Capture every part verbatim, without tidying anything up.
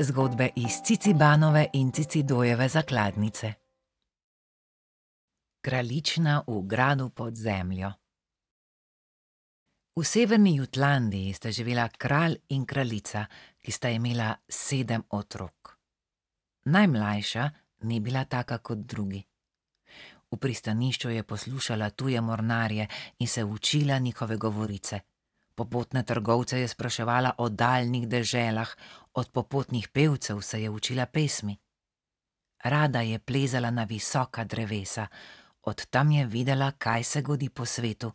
Zgodbe iz Cicibanove in Cicidojeve zakladnice. Kraljična v gradu pod zemljo. V severni Jutlandiji sta živela kralj in kraljica, ki sta imela sedem otrok. Najmlajša ni bila taka kot drugi. V pristanišču je poslušala tuje mornarje in se učila njihove govorice. Popotne trgovce je spraševala o daljnih deželah, od popotnih pevcev se je učila pesmi. Rada je plezala na visoka drevesa, od tam je videla, kaj se godi po svetu,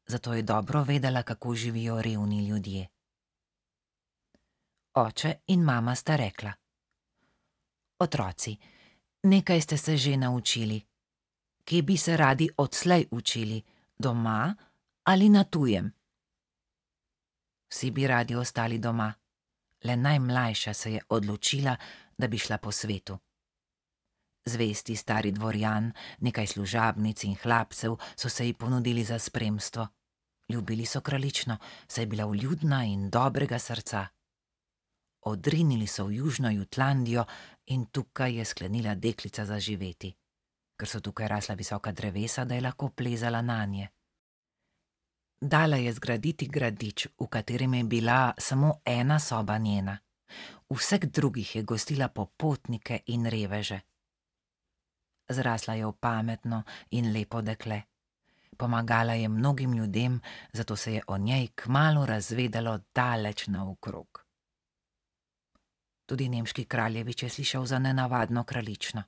zato je dobro vedela, kako živijo revni ljudje. Oče in mama sta rekla: Otroci, nekaj ste se že naučili. Kje bi se radi odslej učili, doma ali na tujem? Vsi bi radi ostali doma, le najmlajša se je odločila, da bi šla po svetu. Zvesti stari dvorjan, nekaj služabnic in hlapcev so se ji ponudili za spremstvo. Ljubili so kraljično, saj je bila vljudna in dobrega srca. Odrinili so v južno Jutlandijo in tukaj je sklenila deklica zaživeti, ker so tukaj rasla visoka drevesa, da je lahko plezala nanje. Dala je zgraditi gradič, v katerem je bila samo ena soba njena. Vseh drugih je gostila popotnike in reveže. Zrasla je v pametno in lepo dekle. Pomagala je mnogim ljudem, zato se je o njej kmalu razvedelo daleč naokrog. Tudi nemški kraljevič je slišal za nenavadno kraljično.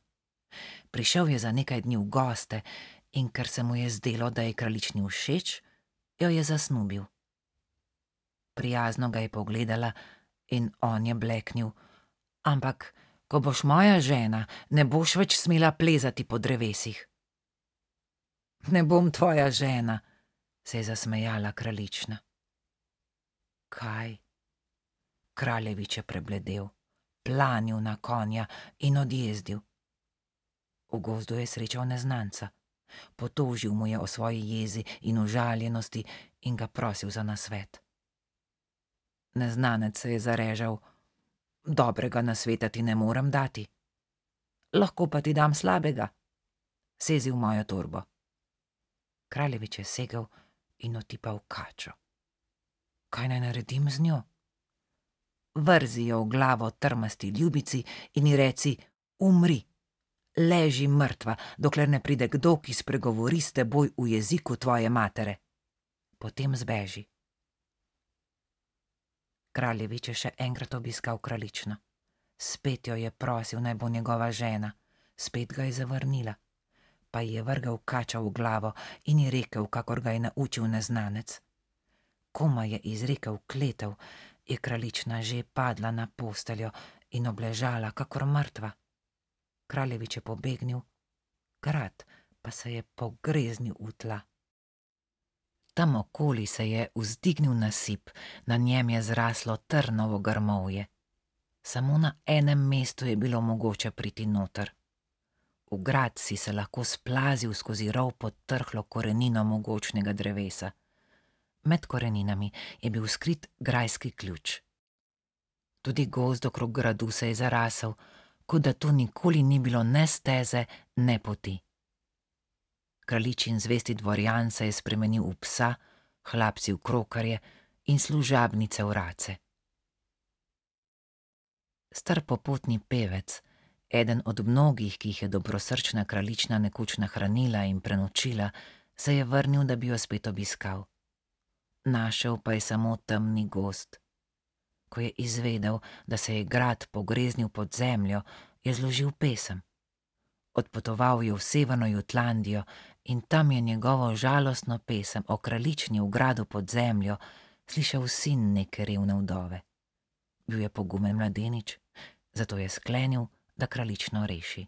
Prišel je za nekaj dni v goste in ker se mu je zdelo, da je kraljični všeč, jo je zasnubil. Prijazno ga je pogledala in on je bleknil: Ampak, ko boš moja žena, ne boš več smela plezati po drevesih. Ne bom tvoja žena, se je zasmejala kraljična. Kaj? Kraljevič je prebledel, planil na konja in odjezdil. V gozdu je srečal neznanca. Potožil mu je o svoji jezi in užaljenosti in ga prosil za nasvet. Neznanec se je zarežal: Dobrega nasveta ti ne morem dati. Lahko pa ti dam slabega. Sezi v mojo torbo. Kraljevič je segel in otipal kačo. Kaj naj naredim z njo? Vrzi jo v glavo trmasti ljubici in ji reci: Umri. Leži mrtva, dokler ne pride kdo, ki spregovori s teboj v jeziku tvoje matere. Potem zbeži. Kraljevič je še enkrat obiskal kraljično. Spet jo je prosil, naj bo njegova žena. Spet ga je zavrnila. Pa ji je vrgel kača v glavo in ji rekel, kakor ga je naučil neznanec. Komaj je izrekel kletev, je kraljična že padla na posteljo in obležala kakor mrtva. Kraljevič je pobegnil, grad pa se je pogreznil v tla. Tam okoli se je vzdignil nasip, na njem je zraslo trnovo grmovje. Samo na enem mestu je bilo mogoče priti noter. V grad si se lahko splazil skozi rov pod trhlo korenino mogočnega drevesa. Med koreninami je bil skrit grajski ključ. Tudi gozd okrog gradu se je zarasel, kot da tu nikoli ni bilo ne steze, ne poti. Kraljičin zvesti dvorjan se je spremenil v psa, hlapci v krokarje in služabnice v race. Star popotni pevec, eden od mnogih, ki jih je dobrosrčna kraljična nekoč nahranila in prenočila, se je vrnil, da bi jo spet obiskal. Našel pa je samo temni gozd. Ko je izvedel, da se je grad pogreznil pod zemljo, je zložil pesem. Odpotoval je v severno Jutlandijo in tam je njegovo žalostno pesem o kraljični v gradu pod zemljo slišal sin neke revne vdove. Bil je pogumen mladenič, zato je sklenil, da kraljično reši.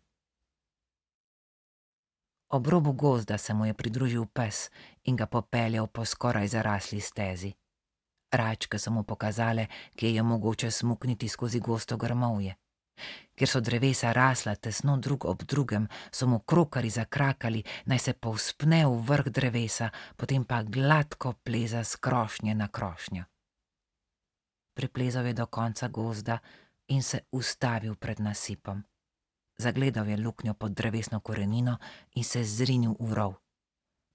Ob robu gozda se mu je pridružil pes in ga popeljal po skoraj zarasli stezi. Račke so mu pokazale, kje je mogoče smukniti skozi gosto grmovje. Ker so drevesa rasla tesno drug ob drugem, so mu krokari zakrakali, naj se povzpne v vrh drevesa, potem pa gladko pleza s krošnje na krošnjo. Priplezal je do konca gozda in se ustavil pred nasipom. Zagledal je luknjo pod drevesno korenino in se zrinil v rov.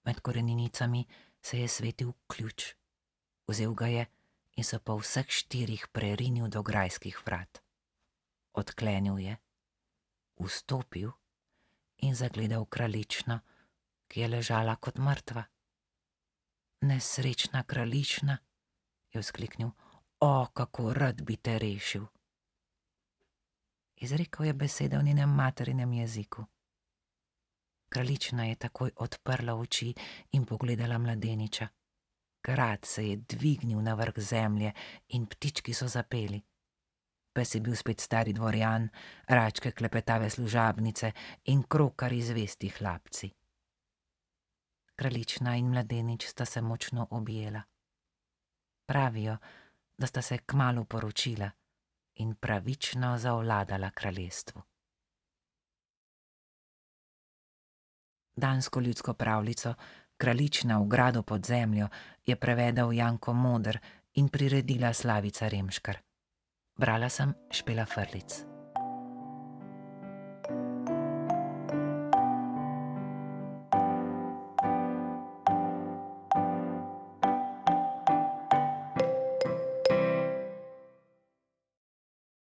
Med koreninicami se je svetil ključ. Vzel ga je in se po vseh štirih prerinil do grajskih vrat. Odklenil je, vstopil in zagledal kraljično, ki je ležala kot mrtva. Nesrečna kraljična, je vzkliknil, o, kako rad bi te rešil. Izrekel je besede v njenem materinem jeziku. Kraljična je takoj odprla oči in pogledala mladeniča. Grad se je dvignil na vrh zemlje in ptički so zapeli. Pes je bil spet stari dvorjan, račke klepetave služabnice in krokari zvesti hlapci. Kraljična in mladenič sta se močno objela. Pravijo, da sta se kmalu poročila in pravično zavladala kraljestvu. Dansko ljudsko pravljico Kraljična v gradu pod zemljo je prevedel Janko Moder in priredila Slavica Remškar. Brala sem Špela Frlic.